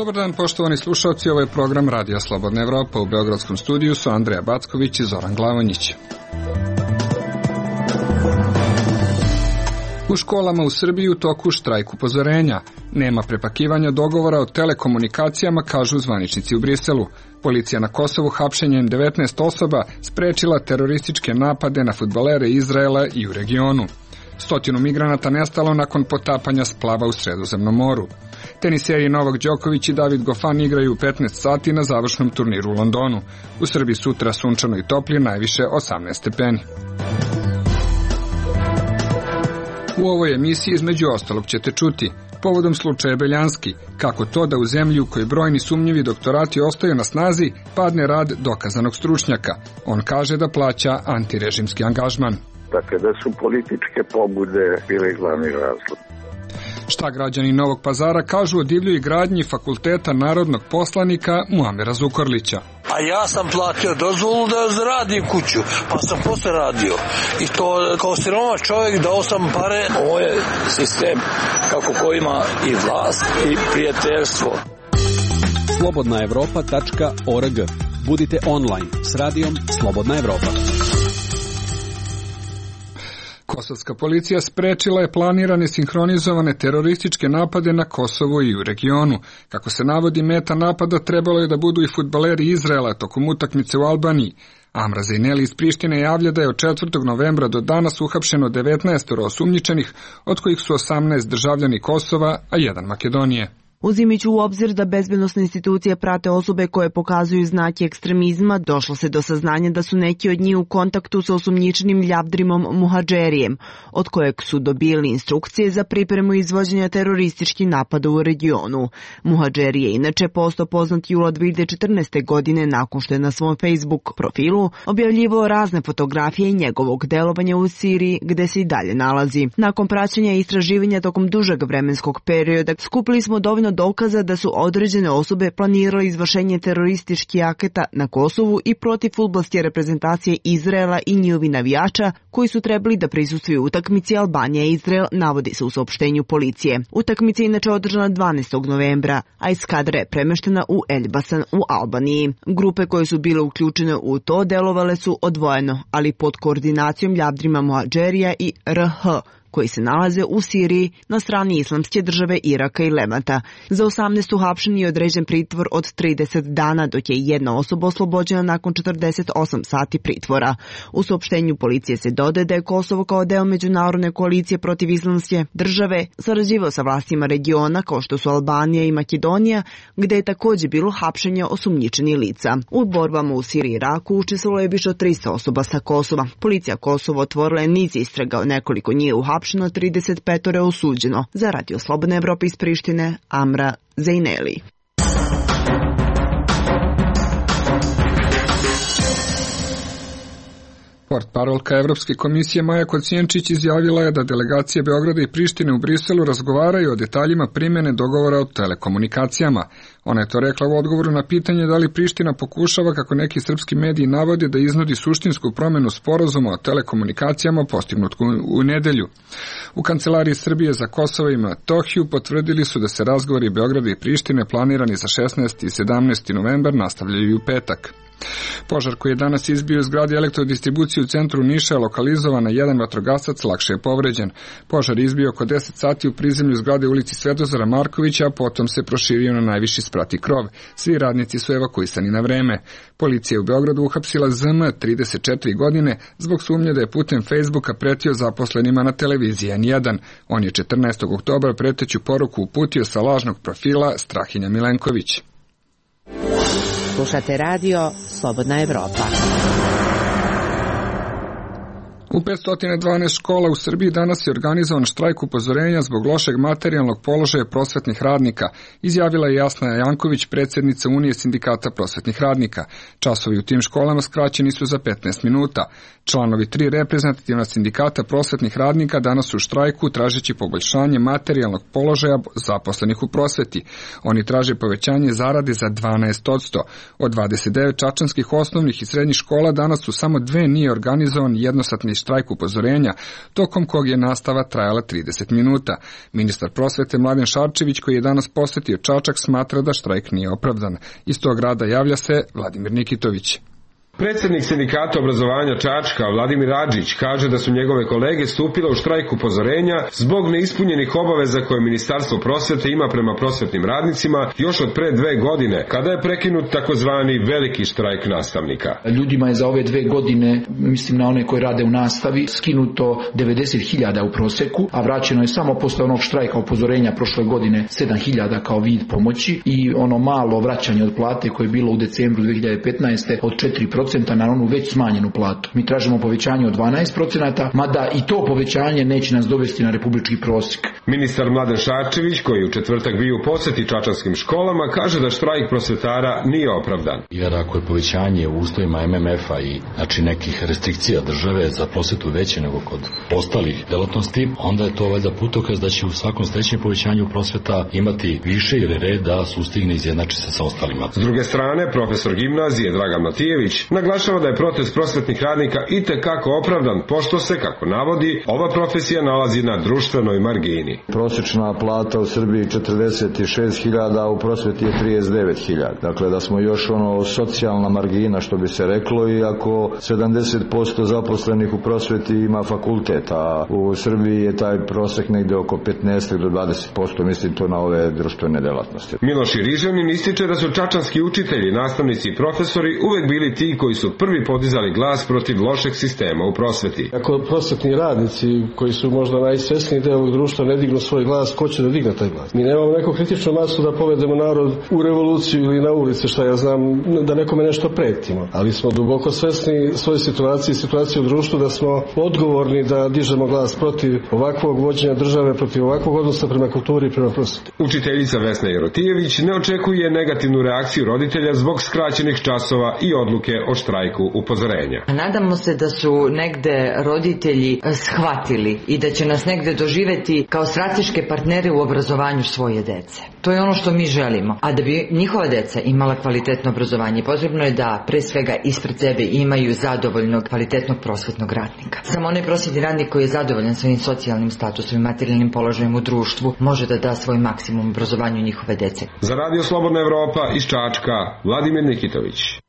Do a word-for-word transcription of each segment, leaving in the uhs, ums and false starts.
Dobar dan, poštovani slušalci, ovo je program Radija Slobodna Evropa. U beogradskom studiju su Andreja Backović i Zoran Glavonjić. U školama u Srbiji u toku štrajk upozorenja. Nema prepakivanja dogovora o telekomunikacijama, kažu zvaničnici u Briselu. Policija na Kosovu hapšenjem devetnaest osoba sprečila terorističke napade na fudbalere Izraela i u regionu. Stotinu migranata nestalo nakon potapanja splava u Sredozemnom moru. Teniseri Novak Đoković i David Goffin igraju u petnaest sati na završnom turniru u Londonu. U Srbiji sutra sunčano i toplije, najviše osamnaest stepeni. U ovoj emisiji između ostalog ćete čuti povodom slučaja Beljanski, kako to da u zemlji u kojoj brojni sumnjivi doktorati ostaju na snazi padne rad dokazanog stručnjaka. On kaže da plaća antirežimski angažman. Dakle, da su političke pobude bile glavni razlog. Šta građani Novog Pazara kažu o divljoj gradnji Fakulteta narodnog poslanika Muamera Zukorlića? A ja sam platio dozvolu da zaradim kuću, pa sam posle radio. I to kao siroma čovjek dao sam pare. Ovo je sistem kako ko ima i vlast i prijateljstvo. slobodna evropa tačka org. Budite online s radijom Slobodna Evropa. Kosovska policija sprečila je planirane sinhronizovane terorističke napade na Kosovu i u regionu. Kako se navodi, meta napada trebalo je da budu i fudbaleri Izraela tokom utakmice u Albaniji. Amra Zejneli iz Prištine javlja da je od četvrtog novembra do danas uhapšeno devetnaest osumnjičenih, od kojih su osamnaest državljani Kosova, a jedan Makedonije. Uzimajući u obzir da bezbednosne institucije prate osobe koje pokazuju znake ekstremizma, došlo se do saznanja da su neki od njih u kontaktu sa osumnjičenim Ljavdrimom Muhadžerijem, od kojeg su dobili instrukcije za pripremu izvođenja terorističkih napada u regionu. Muhadžeri je inače postao poznat jula dve hiljade četrnaeste. godine nakon što je na svom Facebook profilu objavljivao razne fotografije njegovog delovanja u Siriji, gde se i dalje nalazi. Nakon praćenja i istraživanja tokom dužeg vremenskog perioda, skupili smo dovoljno dokaza da su određene osobe planirale izvršenje terorističkih akata na Kosovu i protiv fudbalske reprezentacije Izraela i njihovi navijača koji su trebali da prisustvuju utakmici Albanija i Izrael, navodi se u saopštenju policije. Utakmica je inače održana dvanaestog novembra, a eskadra je premeštena u Elbasan u Albaniji. Grupe koje su bile uključene u to delovale su odvojeno, ali pod koordinacijom Ljavdrima Muhadžerija i R H, koji se nalaze u Siriji na strani Islamske države, Iraka i Levanta. Za osamnaest uhapšeni je određen pritvor od trideset dana, dok je jedna osoba oslobođena nakon četrdeset osam sati pritvora. U saopštenju policije se dodaje da je Kosovo kao deo međunarodne koalicije protiv Islamske države sarađivao sa vlastima regiona kao što su Albanija i Makedonija, gde je također bilo hapšenje osumnjičenih lica. U borbama u Siriji i Iraku učestvovalo je više od tristo osoba sa Kosova. Policija Kosova otvorila je niz istraga, nekoliko njih uhapšeno, trideset pet je osuđeno. Za Radio Slobodne Evrope iz Prištine, Amra Zejneli. Portparolka Evropske komisije Maja Kocijančić izjavila je da delegacije Beograda i Prištine u Briselu razgovaraju o detaljima primjene dogovora o telekomunikacijama. Ona je to rekla u odgovoru na pitanje da li Priština pokušava, kako neki srpski mediji navode, da iznudi suštinsku promjenu sporazuma o telekomunikacijama postignut u nedelju. U Kancelariji Srbije za Kosovo i Metohiju potvrdili su da se razgovori Beograda i Prištine planirani za šesnaesti i sedamnaesti novembar nastavljaju u petak. Požar koji je danas izbio iz zgrade elektrodistribucije u centru Niša je lokalizovan, a jedan vatrogasac lakše je povređen. Požar je izbio oko deset sati u prizemlju zgrade ulici Svetozara Markovića, a potom se proširio na najviši sprat i krov. Svi radnici su evakuisani na vreme. Policija je u Beogradu uhapsila Z M, trideset četiri godine, zbog sumnje da je putem Facebooka pretio zaposlenima na televiziji N jedan. On je četrnaestog oktobra preteću poruku uputio sa lažnog profila Strahinja Milenković. Slušate radio Slobodna Evropa. U petsto dvanaest škola u Srbiji danas je organizovan štrajk upozorenja zbog lošeg materijalnog položaja prosvetnih radnika, izjavila je Jasna Janković, predsjednica Unije sindikata prosvetnih radnika. Časovi u tim školama skraćeni su za petnaest minuta. Članovi tri reprezentativna sindikata prosvetnih radnika danas su u štrajku tražeći poboljšanje materijalnog položaja zaposlenih u prosveti. Oni traže povećanje zarade za dvanaest posto. Od dvadeset devet čačanskih osnovnih i srednjih škola danas su samo dve nije organizovan jednosatni štrajk upozorenja, tokom kog je nastava trajala trideset minuta. Ministar prosvete Mladen Šarčević, koji je danas posetio Čačak, smatra da štrajk nije opravdan. Iz tog grada javlja se Vladimir Nikitović. Predsednik sindikata obrazovanja Čačka, Vladimir Adžić, kaže da su njegove kolege stupile u štrajk upozorenja zbog neispunjenih obaveza koje Ministarstvo prosvete ima prema prosvetnim radnicima još od pre dve godine, kada je prekinut takozvani veliki štrajk nastavnika. Ljudima je za ove dve godine, mislim na one koji rade u nastavi, skinuto devedeset hiljada u proseku, a vraćeno je samo posle onog štrajka upozorenja prošle godine sedam hiljada kao vid pomoći i ono malo vraćanje od plate koje je bilo u decembru dve hiljade petnaeste od četiri procenta na onu već smanjenu platu. Mi tražimo povećanje od dvanaest procenata, mada i to povećanje neće nas dovesti na republički prosjek. Ministar Mladen Šarčević, koji u četvrtak bio u poseti čačanskim školama, kaže da štrajk prosvetara nije opravdan. Jer ako je povećanje u uslovima em em ef-a i znači nekih restrikcija države za prosvetu veće nego kod ostalih delatnosti, onda je to valjda putokaz da će u svakom sledećem povećanju prosveta imati više ili red da sustigne izjednači se sa ostalima. S druge strane, profesor gimnazije Dragan Matijević naglašava da je protest prosvetnih radnika itekako opravdan, pošto se, kako navodi, ova profesija nalazi na društvenoj margini. Prosječna plata u Srbiji četrdeset šest hiljada, a u prosveti je trideset devet hiljada. Dakle, da smo još ono socijalna margina, što bi se reklo, i ako sedamdeset posto zaposlenih u prosveti ima fakultet, a u Srbiji je taj prosek negde oko petnaest do dvadeset posto, mislim to na ove društvene delatnosti. Miloš Irižanin ističe da su čačanski učitelji, nastavnici i profesori uvek bili ti koji su prvi podizali glas protiv lošeg sistema u prosveti. Ako prosvetni radnici, koji su možda najsvesniji deo ovog društva, ne dignu svoj glas, ko će da digne taj glas? Mi nemamo neku kritičnu masu da povedemo narod u revoluciju ili na ulici, šta ja znam, da nekome nešto pretimo. Ali smo duboko svesni svoje situacije i situacije u društvu, da smo odgovorni da dižemo glas protiv ovakvog vođenja države, protiv ovakvog odnosa prema kulturi i prema prosveti. Učiteljica Vesna Jerotijević ne očekuje negativnu reakciju roditelja zbog skraćenih časova i odluke o štrajku upozorenja. Nadamo se da su negde roditelji shvatili i da će nas negde doživeti kao strateške partnere u obrazovanju svoje dece. To je ono što mi želimo. A da bi njihova deca imala kvalitetno obrazovanje, potrebno je da pre svega ispred sebe imaju zadovoljnog, kvalitetnog prosvetnog radnika. Samo onaj prosvetni radnik koji je zadovoljan svojim socijalnim statusom i materijalnim položajem u društvu može da da svoj maksimum obrazovanju njihove dece. Za Radio Slobodna Evropa iz Čačka, Vladimir Nikitović.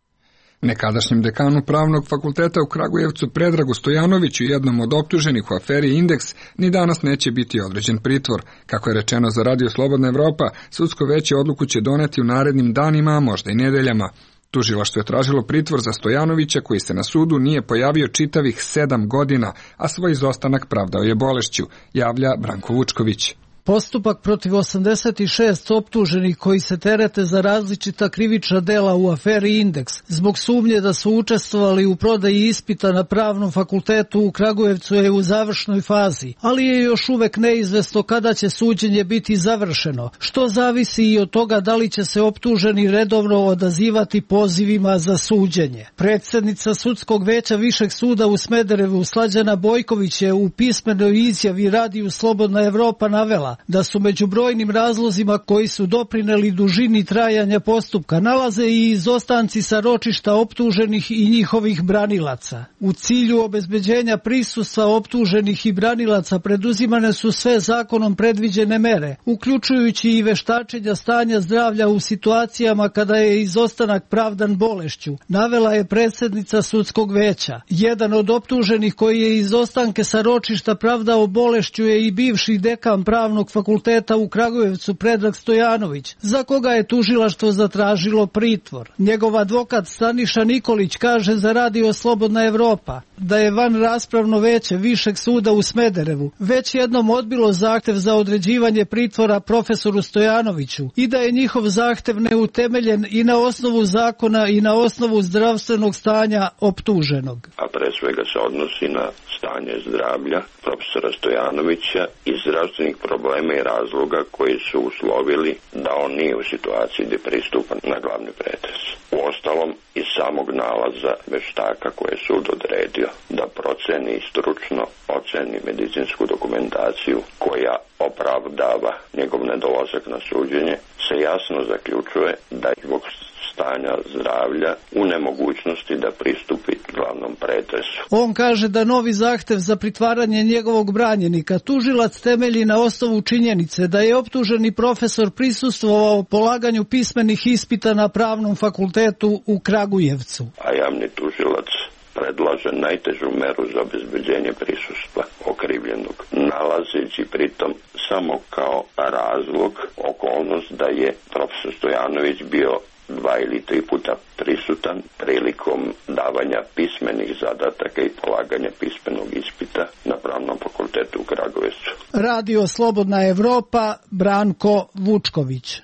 Nekadašnjem dekanu Pravnog fakulteta u Kragujevcu Predragu Stojanoviću, jednom od optuženih u aferi Indeks, ni danas neće biti određen pritvor. Kako je rečeno za Radio Slobodna Evropa, sudsko veće odluku će doneti u narednim danima, a možda i nedeljama. Tužilaštvo je tražilo pritvor za Stojanovića, koji se na sudu nije pojavio čitavih sedam godina, a svoj izostanak pravdao je bolešću, javlja Branko Vučković. Postupak protiv osamdeset šest optuženih koji se terete za različita krivična dela u aferi Indeks zbog sumnje da su učestvovali u prodaji ispita na Pravnom fakultetu u Kragujevcu je u završnoj fazi, ali je još uvek neizvesno kada će suđenje biti završeno, što zavisi i od toga da li će se optuženi redovno odazivati pozivima za suđenje. Predsednica sudskog veća Višeg suda u Smederevu Slađana Bojković je u pismenoj izjavi Radiju Slobodna Evropa navela da su među brojnim razlozima koji su doprineli dužini trajanja postupka nalaze i izostanci sa ročišta optuženih i njihovih branilaca. U cilju obezbeđenja prisustva optuženih i branilaca preduzimane su sve zakonom predviđene mere, uključujući i veštačenja stanja zdravlja u situacijama kada je izostanak pravdan bolešću, navela je predsednica sudskog veća. Jedan od optuženih koji je izostanke sa ročišta pravdao bolešću je i bivši dekan Pravnog fakulteta u Kragujevcu Predrag Stojanović, za koga je tužilaštvo zatražilo pritvor. Njegov advokat Staniša Nikolić kaže za Radio Slobodna Evropa da je van raspravno veće Višeg suda u Smederevu već jednom odbilo zahtev za određivanje pritvora profesoru Stojanoviću i da je njihov zahtev neutemeljen i na osnovu zakona i na osnovu zdravstvenog stanja optuženog. A pre svega se odnosi na stanje zdravlja profesora Stojanovića i zdravstvenih problema i razloga koji su uslovili da on nije u situaciji gdje pristupa na glavni pretres. Uostalom, iz samog nalaza veštaka koje je sud odredio da proceni i stručno oceni medicinsku dokumentaciju koja opravdava njegov nedolazak na suđenje, se jasno zaključuje da je zbog stanja zdravlja u nemogućnosti da pristupi glavnom pretresu. On kaže da novi zahtev za pritvaranje njegovog branjenika tužilac temelji na osnovu činjenice da je optuženi profesor prisustvovao polaganju pismenih ispita na Pravnom fakultetu u Kragujevcu. A javni tužilac predlaže najtežu meru za obezbeđenje prisustva okrivljenog, nalazeći pritom samo kao razlog okolnost da je profesor Stojanović bio dva ili tri puta prisutan prilikom davanja pismenih zadataka i polaganja pismenog ispita na Pravnom fakultetu u Kragujevcu. Radio Slobodna Evropa, Branko Vučković.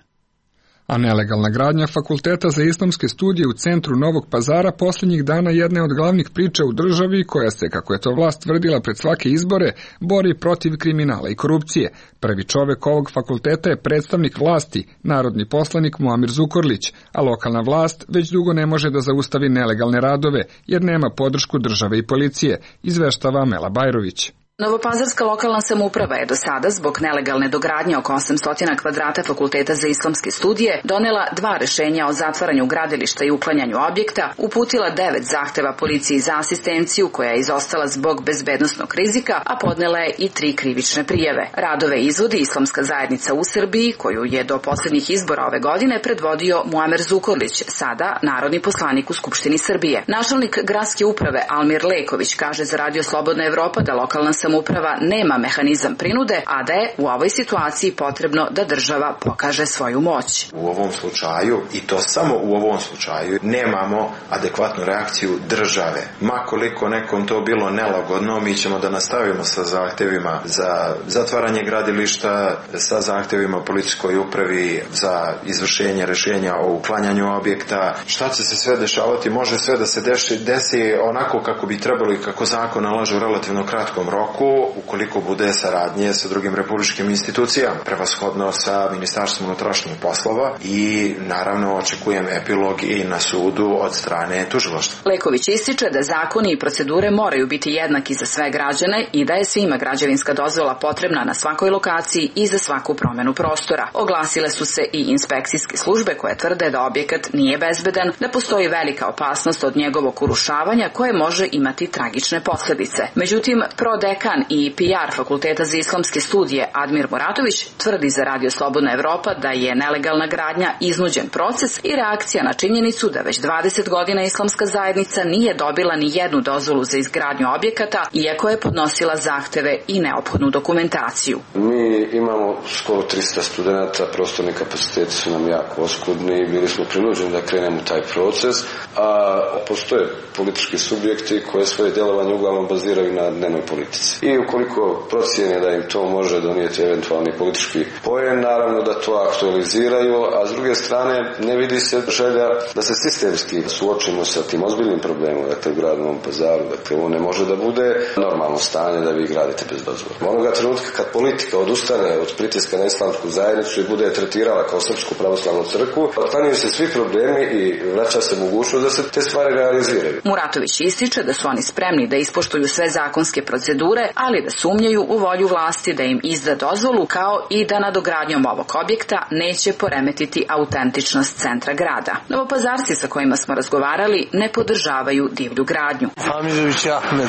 A nelegalna gradnja Fakulteta za islamske studije u centru Novog Pazara posljednjih dana jedna je od glavnih priča u državi koja se, kako je to vlast tvrdila pred svake izbore, bori protiv kriminala i korupcije. Prvi čovek ovog fakulteta je predstavnik vlasti, narodni poslanik Muamer Zukorlić, a lokalna vlast već dugo ne može da zaustavi nelegalne radove jer nema podršku države i policije, izveštava Mela Bajrović. Novopazarska lokalna samouprava je do sada zbog nelegalne dogradnje oko osamsto kvadrata Fakulteta za islamske studije donela dva rešenja o zatvaranju gradilišta i uklanjanju objekta, uputila devet zahteva policiji za asistenciju koja je izostala zbog bezbednosnog rizika, a podnela je i tri krivične prijave. Radove izvodi Islamska zajednica u Srbiji, koju je do poslednjih izbora ove godine predvodio Muamer Zukorlić, sada narodni poslanik u Skupštini Srbije. Načelnik gradske uprave Almir Leković kaže za Radio Slobodna Evropa da lokalna samouprava Samouprava nema mehanizam prinude, a da je u ovoj situaciji potrebno da država pokaže svoju moć. U ovom slučaju, i to samo u ovom slučaju, nemamo adekvatnu reakciju države. Ma koliko nekom to bilo nelagodno, mi ćemo da nastavimo sa zahtevima za zatvaranje gradilišta, sa zahtevima policijskoj upravi za izvršenje rešenja o uklanjanju objekta. Šta će se sve dešavati? Može sve da se desi, desi onako kako bi trebalo i kako zakon nalaže u relativno kratkom roku, ukoliko bude saradnje sa drugim republičkim institucijama, prevashodno sa Ministarstvom unutrašnjih poslova i naravno očekujem epilog i na sudu od strane tužilaštva. Leković ističe da zakoni i procedure moraju biti jednaki za sve građane i da je svima građevinska dozvola potrebna na svakoj lokaciji i za svaku promenu prostora. Oglasile su se i inspekcijske službe koje tvrde da objekat nije bezbedan, da postoji velika opasnost od njegovog urušavanja koje može imati tragične posledice. Međutim, prodekan i P R Fakulteta za islamske studije Admir Muratović tvrdi za Radio Slobodna Evropa da je nelegalna gradnja iznuđen proces i reakcija na činjenicu da već dvadeset godina islamska zajednica nije dobila ni jednu dozvolu za izgradnju objekata, iako je podnosila zahteve i neophodnu dokumentaciju. Mi imamo skoro trista studenata, prostorni kapaciteti su nam jako oskudni i bili smo prinuđeni da krenemo taj proces, a postoje politički subjekti koje svoje djelovanje uglavnom baziraju na dnevnoj politici. I ukoliko procijene da im to može donijeti eventualni politički poen, naravno da to aktualiziraju, a s druge strane ne vidi se želja da se sistemski suočimo sa tim ozbiljnim problemom, dakle u gradu Novom Pazaru, dakle ovo ne može da bude normalno stanje da vi gradite bez dozvole. Onoga trenutka kad politika odustane od pritiska na islamsku zajednicu i bude tretirala kao Srpsku pravoslavnu crkvu, otklanjaju se svi problemi i vraća se mogućnost da se te stvari realiziraju. Muratović ističe da su oni spremni da ispoštuju sve zakonske procedure, ali da sumnjaju u volju vlasti da im izda dozvolu, kao i da nadogradnjom ovog objekta neće poremetiti autentičnost centra grada. Novopazarci sa kojima smo razgovarali ne podržavaju divlju gradnju. Hamidović Ahmed,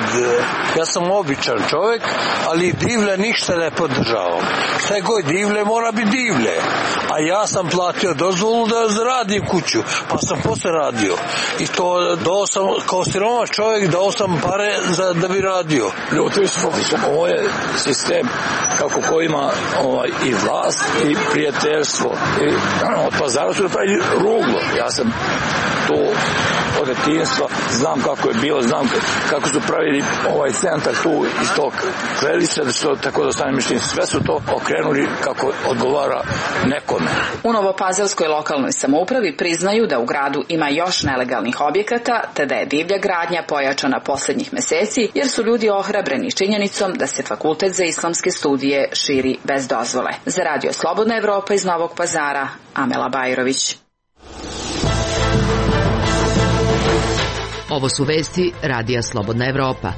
ja sam običan čovjek, ali divlje ništa ne podržavam. Šta je god divlje, mora biti divlje. A ja sam platio dozvolu da radim kuću, pa sam posle radio. I to dao sam, kao siroma čovjek, dao sam pare za, da bi radio. Ljuti smo. Ovo je sistem kako ko ima ovaj, i vlast i prijateljstvo. I od Pazara su napravili ruglo. Ja sam to od detinjstva, znam kako je bilo, znam kako su pravili ovaj centar tu iz tog Klelića, da što tako da stane mišljenje. Sve su to okrenuli kako odgovara nekome. U Novopazarskoj lokalnoj samoupravi priznaju da u gradu ima još nelegalnih objekata, te da je divlja gradnja pojačana poslednjih meseci, jer su ljudi ohrabreni činjenicom da se Fakultet za islamske studije širi bez dozvole. Za Radio Slobodna Evropa iz Novog Pazara, Amela Bajrović. Ovo su vesti Radija Slobodna Evropa.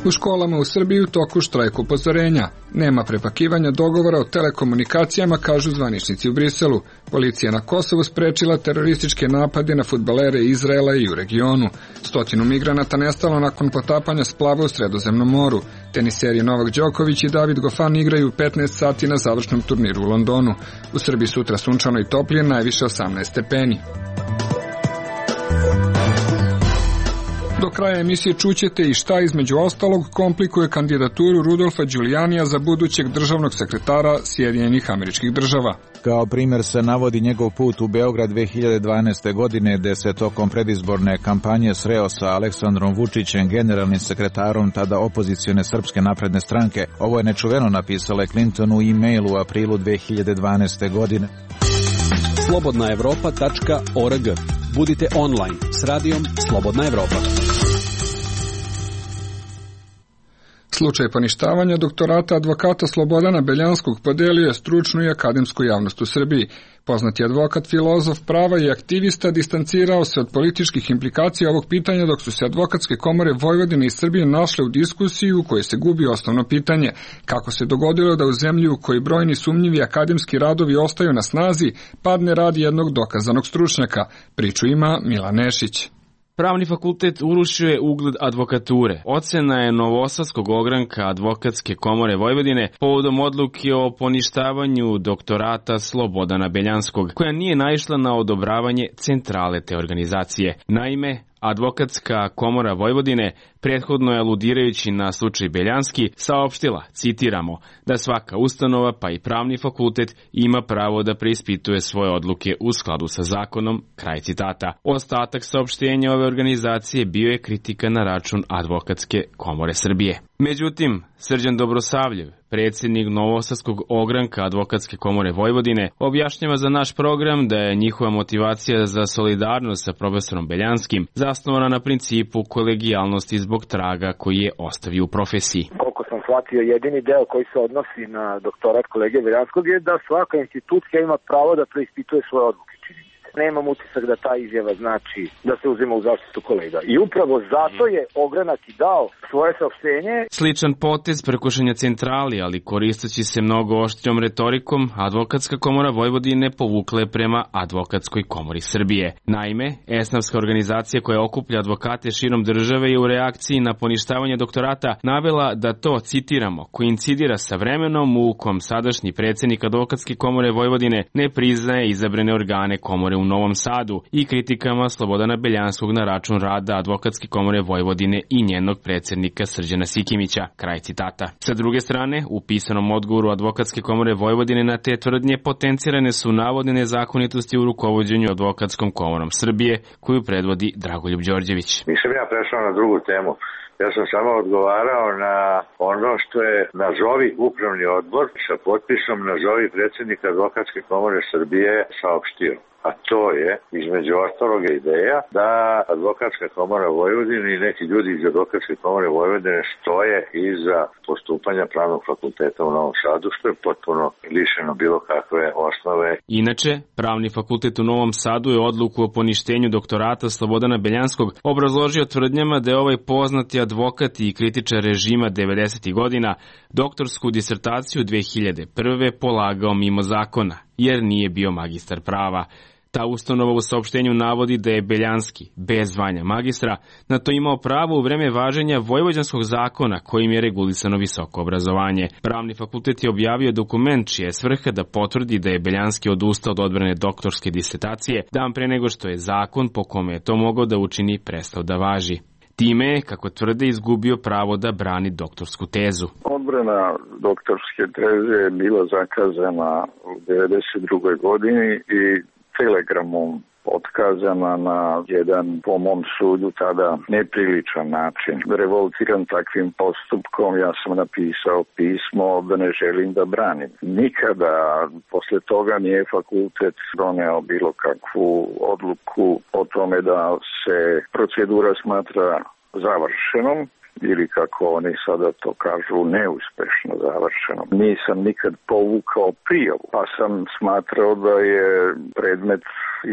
U školama u Srbiji u toku štrajk upozorenja. Nema prepakivanja dogovora o telekomunikacijama, kažu zvaničnici u Briselu. Policija na Kosovu sprečila terorističke napade na fudbalere Izraela i u regionu. Stotinu migranata nestalo nakon potapanja splava u Sredozemnom moru. Teniseri Novak Đoković i David Goffin igraju petnaest sati na završnom turniru u Londonu. U Srbiji sutra sunčano i toplije, najviše osamnaest stepeni. Do kraja emisije čućete i šta između ostalog komplikuje kandidaturu Rudolfa Đulijanija za budućeg državnog sekretara Sjedinjenih Američkih Država. Kao primjer se navodi njegov put u Beograd dve hiljade dvanaeste. godine, gde se tokom predizborne kampanje sreo sa Aleksandrom Vučićem, generalnim sekretarom tada opozicione Srpske napredne stranke. Ovo je nečuveno, napisala Clinton u e-mailu u aprilu dve hiljade dvanaeste. godine. slobodna evropa tačka org. Budite online s radijom Slobodna Evropa. Slučaj poništavanja doktorata advokata Slobodana Beljanskog podelio je stručnu i akademsku javnost u Srbiji. Poznati advokat, filozof prava i aktivista distancirao se od političkih implikacija ovog pitanja, dok su se advokatske komore Vojvodine i Srbije našle u diskusiji u kojoj se gubi osnovno pitanje: kako se dogodilo da u zemlji u kojoj brojni sumnjivi akademski radovi ostaju na snazi padne rad jednog dokazanog stručnjaka. Priču ima Milan Nešić. Pravni fakultet urušio je ugled advokature. Ocena je Novosadskog ogranka Advokatske komore Vojvodine povodom odluke o poništavanju doktorata Slobodana Beljanskog, koja nije naišla na odobravanje centrale te organizacije. Naime, Advokatska komora Vojvodine, prethodno je aludirajući na slučaj Beljanski, saopštila, citiramo, da svaka ustanova pa i pravni fakultet ima pravo da preispituje svoje odluke u skladu sa zakonom, kraj citata. Ostatak saopštenja ove organizacije bio je kritika na račun Advokatske komore Srbije. Međutim, Srđan Dobrosavljev, predsjednik Novosadskog ogranka Advokatske komore Vojvodine, objašnjava za naš program da je njihova motivacija za solidarnost sa profesorom Beljanskim zasnovana na principu kolegijalnosti zbog traga koji je ostavio u profesiji. Koliko sam shvatio, jedini deo koji se odnosi na doktorat kolege Beljanskog je da svaka institucija ima pravo da preispituje svoje odluke. Nemam utisak da ta izjava znači da se uzima u zaštitu kolega. I upravo zato je ogranak i dao svoje saopštenje. Sličan potez prekušanja centrali, ali koristeći se mnogo oštrijom retorikom, Advokatska komora Vojvodine povukla je prema Advokatskoj komori Srbije. Naime, esnafska organizacija koja okuplja advokate širom države je u reakciji na poništavanje doktorata navela da to, citiramo, koincidira sa vremenom u kom sadašnji predsjednik Advokatske komore Vojvodine ne priznaje izabrane organe komore u Novom Sadu i kritikama Slobodana Beljanskog na račun rada Advokatske komore Vojvodine i njenog predsjednika Srđana Sikimića, kraj citata. Sa druge strane, u pisanom odgovoru Advokatske komore Vojvodine na te tvrdnje potencirane su navodne nezakonitosti u rukovođenju Advokatskom komorom Srbije, koju predvodi Dragoljub Đorđević. Nisam ja prešao na drugu temu. Ja sam samo odgovarao na ono što je nazovi upravni odbor sa potpisom nazovi predsjednika Advokatske komore Srbije saopštio. A to je, između ostalog, ideja da Advokatska komora Vojvodine i neki ljudi iz Advokatske komore Vojvodine stoje iza postupanja Pravnog fakulteta u Novom Sadu, što je potpuno lišeno bilo kakve osnove. Inače, Pravni fakultet u Novom Sadu je odluku o poništenju doktorata Slobodana Beljanskog obrazložio tvrdnjama da je ovaj poznati advokat i kritičar režima devedesetih godina doktorsku disertaciju dve hiljade prve polagao mimo zakona, jer nije bio magistar prava. Ta ustanova u saopštenju navodi da je Beljanski, bez zvanja magistra, na to imao pravo u vreme važenja Vojvođanskog zakona kojim je regulisano visoko obrazovanje. Pravni fakultet je objavio dokument čija je svrha da potvrdi da je Beljanski odustao od odbrane doktorske disertacije dan pre nego što je zakon po kome je to mogao da učini prestao da važi. Time je, kako tvrde, izgubio pravo da brani doktorsku tezu. Odbrana doktorske teze je bila zakazana u devedeset drugoj godini i telegramom otkazana na jedan, po mom sudu, tada nepriličan način. Revoltiran takvim postupkom, ja sam napisao pismo da ne želim da branim. Nikada posle toga nije fakultet doneo bilo kakvu odluku o tome da se procedura smatra završenom ili, kako oni sada to kažu, neuspešno završeno. Nisam nikad povukao prijavu, pa sam smatrao da je predmet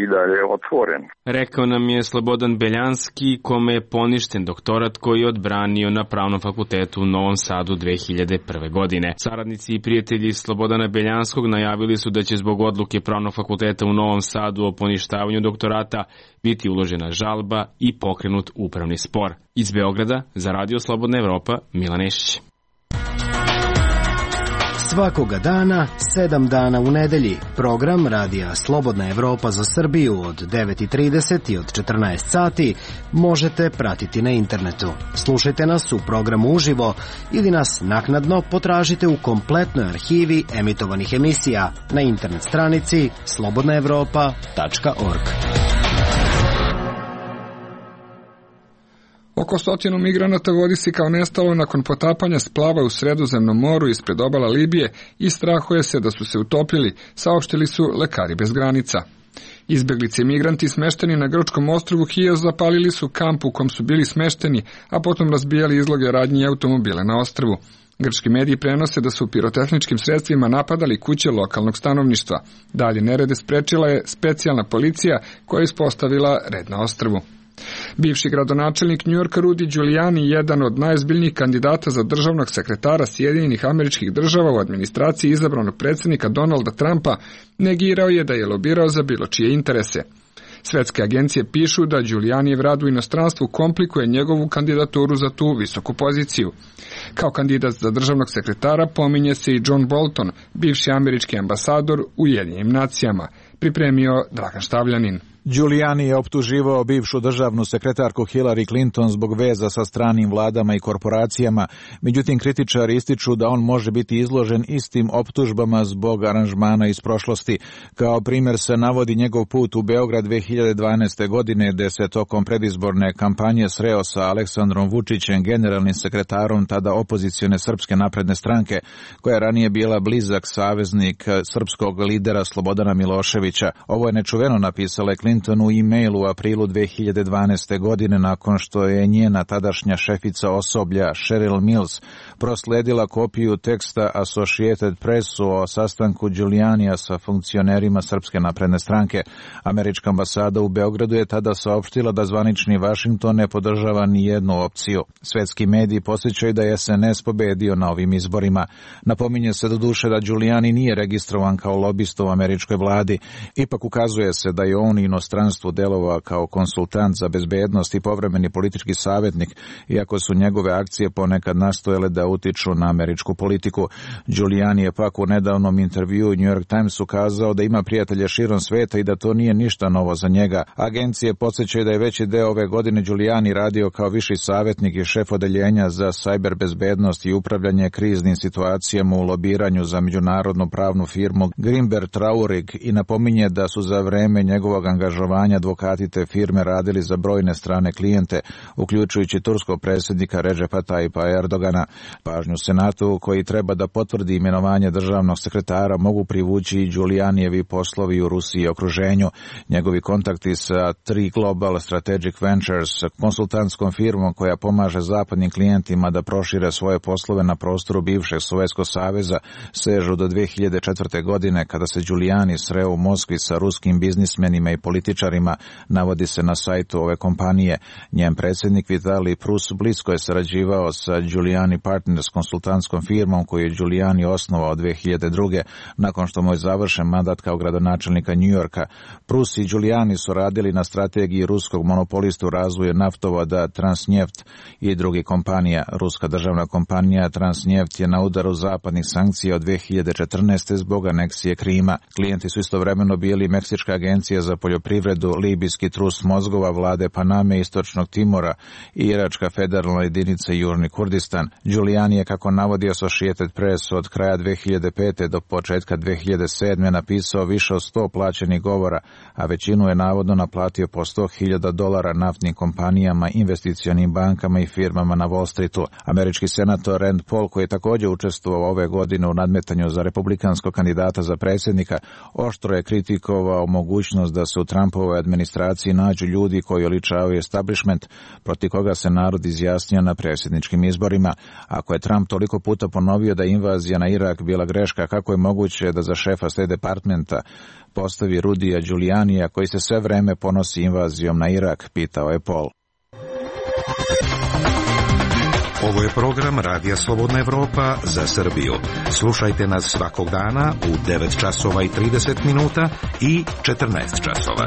i dalje otvoren. Rekao nam je Slobodan Beljanski, kome je poništen doktorat koji je odbranio na Pravnom fakultetu u Novom Sadu dve hiljade prve. godine. Saradnici i prijatelji Slobodana Beljanskog najavili su da će zbog odluke Pravnog fakulteta u Novom Sadu o poništavanju doktorata biti uložena žalba i pokrenut upravni spor. Iz Beograda za Radio Slobodna Evropa, Milan Nešić. Svakoga dana, sedam dana u nedelji, program Radija Slobodna Evropa za Srbiju od devet i trideset i od četrnaest sati možete pratiti na internetu. Slušajte nas u programu uživo ili nas naknadno potražite u kompletnoj arhivi emitovanih emisija na internet stranici slobodna evropa tačka org. Oko stotinu migranata vodi se kao nestalo nakon potapanja splava u Sredozemnom moru ispred obala Libije i strahuje se da su se utopili, saopštili su Lekari bez granica. Izbeglice i migranti smešteni na grčkom ostrvu Hios zapalili su kamp u kom su bili smešteni, a potom razbijali izloge radnji i automobile na ostrvu. Grčki mediji prenose da su pirotehničkim sredstvima napadali kuće lokalnog stanovništva. Dalje nerede sprečila je specijalna policija koja je ispostavila red na ostrvu. Bivši gradonačelnik Njujorka Rudy Giuliani, jedan od najozbiljnijih kandidata za državnog sekretara Sjedinjenih Američkih Država u administraciji izabranog predsjednika Donalda Trumpa, negirao je da je lobirao za bilo čije interese. Svetske agencije pišu da Giulianijev rad u inostranstvu komplikuje njegovu kandidaturu za tu visoku poziciju. Kao kandidat za državnog sekretara pominje se i John Bolton, bivši američki ambasador u Ujedinjenim nacijama, pripremio Dragan Štavljanin. Giuliani je optuživao bivšu državnu sekretarku Hillary Clinton zbog veza sa stranim vladama i korporacijama, međutim kritičari ističu da on može biti izložen istim optužbama zbog aranžmana iz prošlosti. Kao primjer se navodi njegov put u Beograd dve hiljade dvanaeste. godine, gde se tokom predizborne kampanje sreo sa Aleksandrom Vučićem, generalnim sekretarom tada opozicione Srpske napredne stranke, koja je ranije bila blizak saveznik srpskog lidera Slobodana Miloševića. Ovo je nečuveno napisala Clinton u e-mailu u aprilu dve hiljade dvanaeste. godine nakon što je njena tadašnja šefica osoblja Cheryl Mills prosledila kopiju teksta Associated Pressu o sastanku Giulianija sa funkcionerima Srpske napredne stranke. Američka ambasada u Beogradu je tada saopštila da zvanični Vašington ne podržava ni jednu opciju. Svetski mediji podsjećaju da je S N S pobedio na ovim izborima. Napominje se do duše da Giuliani nije registrovan kao lobista u američkoj vladi. Ipak ukazuje se da je on inostranstvu delovao kao konsultant za bezbednost i povremeni politički savjetnik, iako su njegove akcije ponekad nastojale da utiču na američku politiku. Giuliani je pak u nedavnom intervjuu New York Timesu kazao da ima prijatelje širom sveta i da to nije ništa novo za njega. Agencije podsjećaju da je veći deo ove godine Giuliani radio kao viši savjetnik i šef odeljenja za sajber bezbednost i upravljanje kriznim situacijama u lobiranju za međunarodnu pravnu firmu Grimber Traurig i napominje da su za vreme njegovog angažovanja advokati te firme radili za brojne strane klijente, uključujući turskog predsjednika Redžepa Tayyipa Erdogana. Pažnju Senatu, koji treba da potvrdi imenovanje državnog sekretara, mogu privući i Giulianijevi poslovi u Rusiji i okruženju. Njegovi kontakti sa Tri Global Strategic Ventures, konsultantskom firmom koja pomaže zapadnim klijentima da prošire svoje poslove na prostoru bivšeg Sovjetskog saveza, sežu do dve hiljade četvrte. godine kada se Giuliani sreo u Moskvi sa ruskim biznismenima i političarima, navodi se na sajtu ove kompanije. Njen predsjednik Vitali Prus blisko je sarađivao sa Giuliani Partners, konsultantskom firmom koju je Giuliani osnovao dve hiljade druge. nakon što mu je završen mandat kao gradonačelnika Njujorka. Prus i Giuliani su radili na strategiji ruskog monopolistu razvoja naftovoda Transnjeft i drugih kompanija. Ruska državna kompanija Transnjeft je na udaru zapadnih sankcija od dve hiljade četrnaeste. zbog aneksije Krima. Klijenti su istovremeno bili Meksička agencija za poljoprivredu, libijski trust mozgova vlade Paname, Istočnog Timora i Iračka federalna jedinica Južni Kurdistan. Giuliani je, kako navodi Associated Press, od kraja dve hiljade pete. do početka dve hiljade sedme. napisao više od sto plaćenih govora, a većinu je navodno naplatio po sto hiljada dolara naftnim kompanijama, investicionim bankama i firmama na Wall Streetu. Američki senator Rand Paul, koji je također učestvovao ove godine u nadmetanju za republikanskog kandidata za predsjednika, oštro je kritikovao mogućnost da se u Trumpovoj administraciji nađu ljudi koji oličavaju establishment, protiv koga se narod izjasnio na predsjedničkim izborima. Ako je Trump toliko puta ponovio da je invazija na Irak bila greška, kako je moguće da za šefa State Departmenta postavi Rudija Giulianija, koji se sve vreme ponosi invazijom na Irak, pitao je Paul. Ovo je program Radija Slobodna Evropa za Srbiju. Slušajte nas svakog dana u devet časova i trideset minuta i četrnaest časova.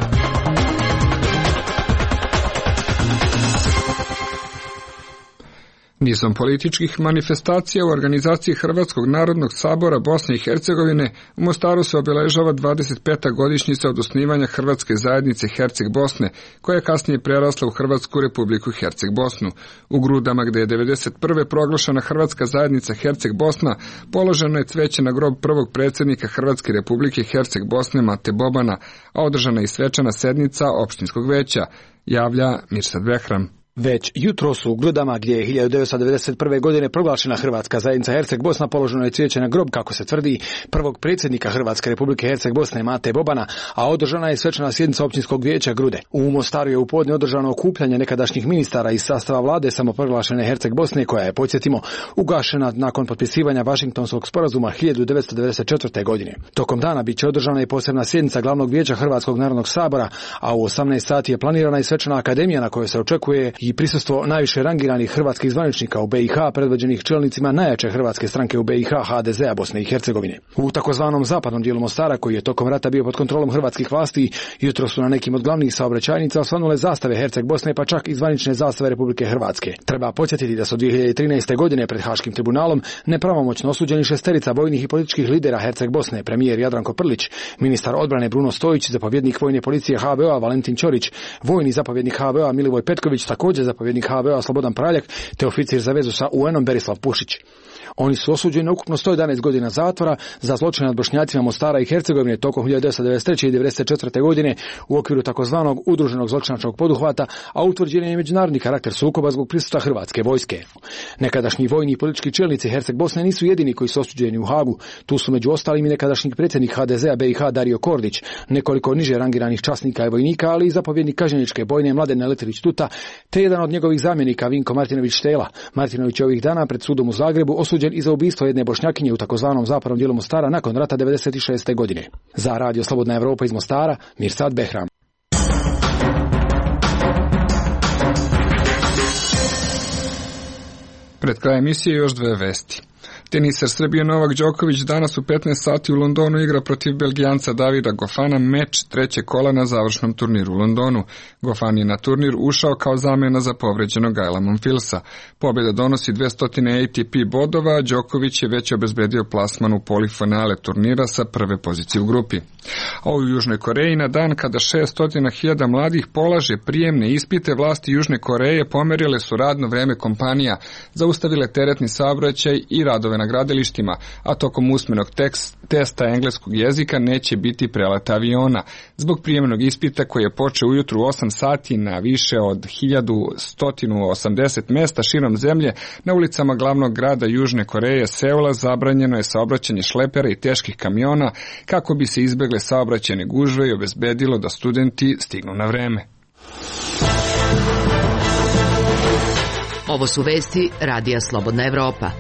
Nizom političkih manifestacija u organizaciji Hrvatskog narodnog sabora Bosne i Hercegovine u Mostaru se obeležava dvadeset peta godišnjica od osnivanja Hrvatske zajednice Herceg Bosne, koja je kasnije prerasla u Hrvatsku republiku Herceg Bosnu. U Grudama, gde je devedeset prve proglašena Hrvatska zajednica Herceg Bosna, položeno je cveće na grob prvog predsjednika Hrvatske republike Herceg Bosne Mate Bobana, a održana je i svečana sednica opštinskog veća, javlja Mirsad Behram. Već jutro su u Grudama, gdje je hiljadu devetsto devedeset prve. godine proglašena Hrvatska zajednica Herceg Bosna, položeno je cvijeće na grob, kako se tvrdi, prvog predsjednika Hrvatske republike Herceg Bosne Mate Bobana, a održana je svečana sjednica općinskog vijeća Grude. U Mostaru je u podne održano okupljanje nekadašnjih ministara iz sastava vlade samoproglašene Herceg Bosne, koja je, podsjetimo, ugašena nakon potpisivanja Vašingtonskog sporazuma hiljadu devetsto devedeset četvrte. godine. Tokom dana biće održana i posebna sjednica glavnog vijeća Hrvatskog narodnog sabora, a u osamnaest sati je planirana i svečana akademija na kojoj se očekuje i prisustvo najviše rangiranih hrvatskih zvaničnika u B i H, predvođenih čelnicima najjače hrvatske stranke u B i H, H D Z-a Bosne i Hercegovine. U takozvanom zapadnom dijelu Mostara, koji je tokom rata bio pod kontrolom hrvatskih vlasti, jutro su na nekim od glavnih saobraćajnica osvanule zastave Herceg Bosne, pa čak i zvanične zastave Republike Hrvatske. Treba podsjetiti da su dvije hiljade trinaeste. godine pred Haškim tribunalom nepravomoćno osuđeni šesterica vojnih i političkih lidera Herceg Bosne, premijer Jadranko Prlić, ministar odbrane Bruno Stojić, zapovjednik vojne policije H V O-a Valentin Ćorić, vojni zapovjednik H V O-a Milivoj Petković, također zapovjednik H V O-a Slobodan Praljak, te oficir za vezu sa U N-om Berislav Pušić. Oni su osuđeni na ukupno sto jedanaest godina zatvora za zločine nad Bošnjacima Mostara i Hercegovine tokom hiljadu devetsto devedeset treće. i devedeset četvrte. godine u okviru takozvanog udruženog zločinačkog poduhvata, a utvrđen je međunarodni karakter sukoba zbog prisustva hrvatske vojske. Nekadašnji vojni i politički čelnici Herceg Bosne nisu jedini koji su osuđeni u Hagu. Tu su među ostalim i nekadašnji predsjednik H D Z-a B i H Dario Kordić, nekoliko niže rangiranih časnika i vojnika, ali i zapovjednik kažnjeničke bojne Mladen Leterić Tuta, te jedan od njegovih zamjenika Vinko Martinović Štela. Martinović je ovih dana pred sudom u Zagrebu osuđen i za ubistvo jedne Bošnjakinje u takozvanom zapadnom dijelu Mostara nakon rata devedeset šeste. godine. Za Radio Slobodna Evropa iz Mostara, Mirsad Behram. Pred kraj emisije još dve vesti. Teniser Srbije Novak Đoković danas u petnaest sati u Londonu igra protiv Belgijanca Davida Gofana meč trećeg kola na završnom turniru u Londonu. Gofan je na turnir ušao kao zamena za povređenog Gaila Monfilsa. Pobjeda donosi dvesta A T P bodova, a Đoković je već obezbedio plasman u polifinale turnira sa prve pozicije u grupi. A u Južnoj Koreji na dan kada šessto hiljada mladih polaže prijemne ispite, vlasti Južne Koreje pomerile su radno vreme kompanija, zaustavile teretni saobraćaj i radove na gradilištima, a tokom usmenog tekst, testa engleskog jezika neće biti preleta aviona. Zbog prijemnog ispita koji je počeo ujutru u osam sati na više od hiljadu sto osamdeset mesta širom zemlje, na ulicama glavnog grada Južne Koreje, Seula, zabranjeno je saobraćanje šlepera i teških kamiona kako bi se izbegle saobraćajne gužve i obezbedilo da studenti stignu na vreme. Ovo su vesti Radija Slobodna Evropa.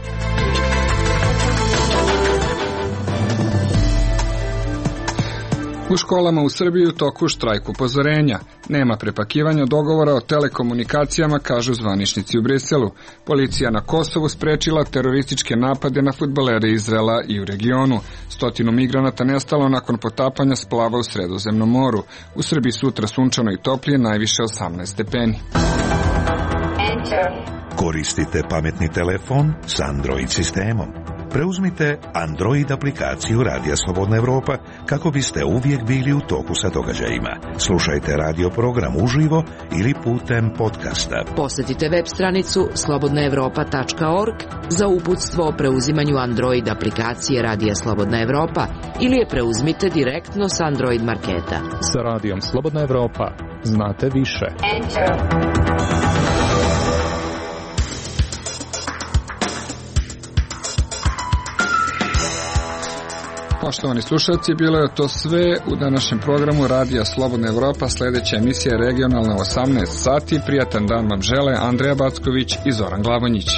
U školama u Srbiji u toku štrajk upozorenja. Nema prepakivanja dogovora o telekomunikacijama, kažu zvaničnici u Briselu. Policija na Kosovu sprečila terorističke napade na fudbalere Izraela i u regionu. Stotinu migranata nestalo nakon potapanja splava u Sredozemnom moru. U Srbiji sutra sunčano i toplije, najviše osamnaest stepeni. Koristite pametni telefon s Android sistemom. Preuzmite Android aplikaciju Radija Slobodna Evropa kako biste uvijek bili u toku sa događajima. Slušajte radio program uživo ili putem podcasta. Posjetite web stranicu slobodna evropa tačka org za uputstvo o preuzimanju Android aplikacije Radija Slobodna Evropa ili je preuzmite direktno s Android marketa. Sa Radijom Slobodna Evropa znate više. Enter. Poštovani slušalci, bilo je to sve u današnjem programu Radija Slobodna Evropa. Sljedeća emisija je regionalna u osamnaest sati. Prijatan dan vam žele Andreja Backović i Zoran Glavonjić.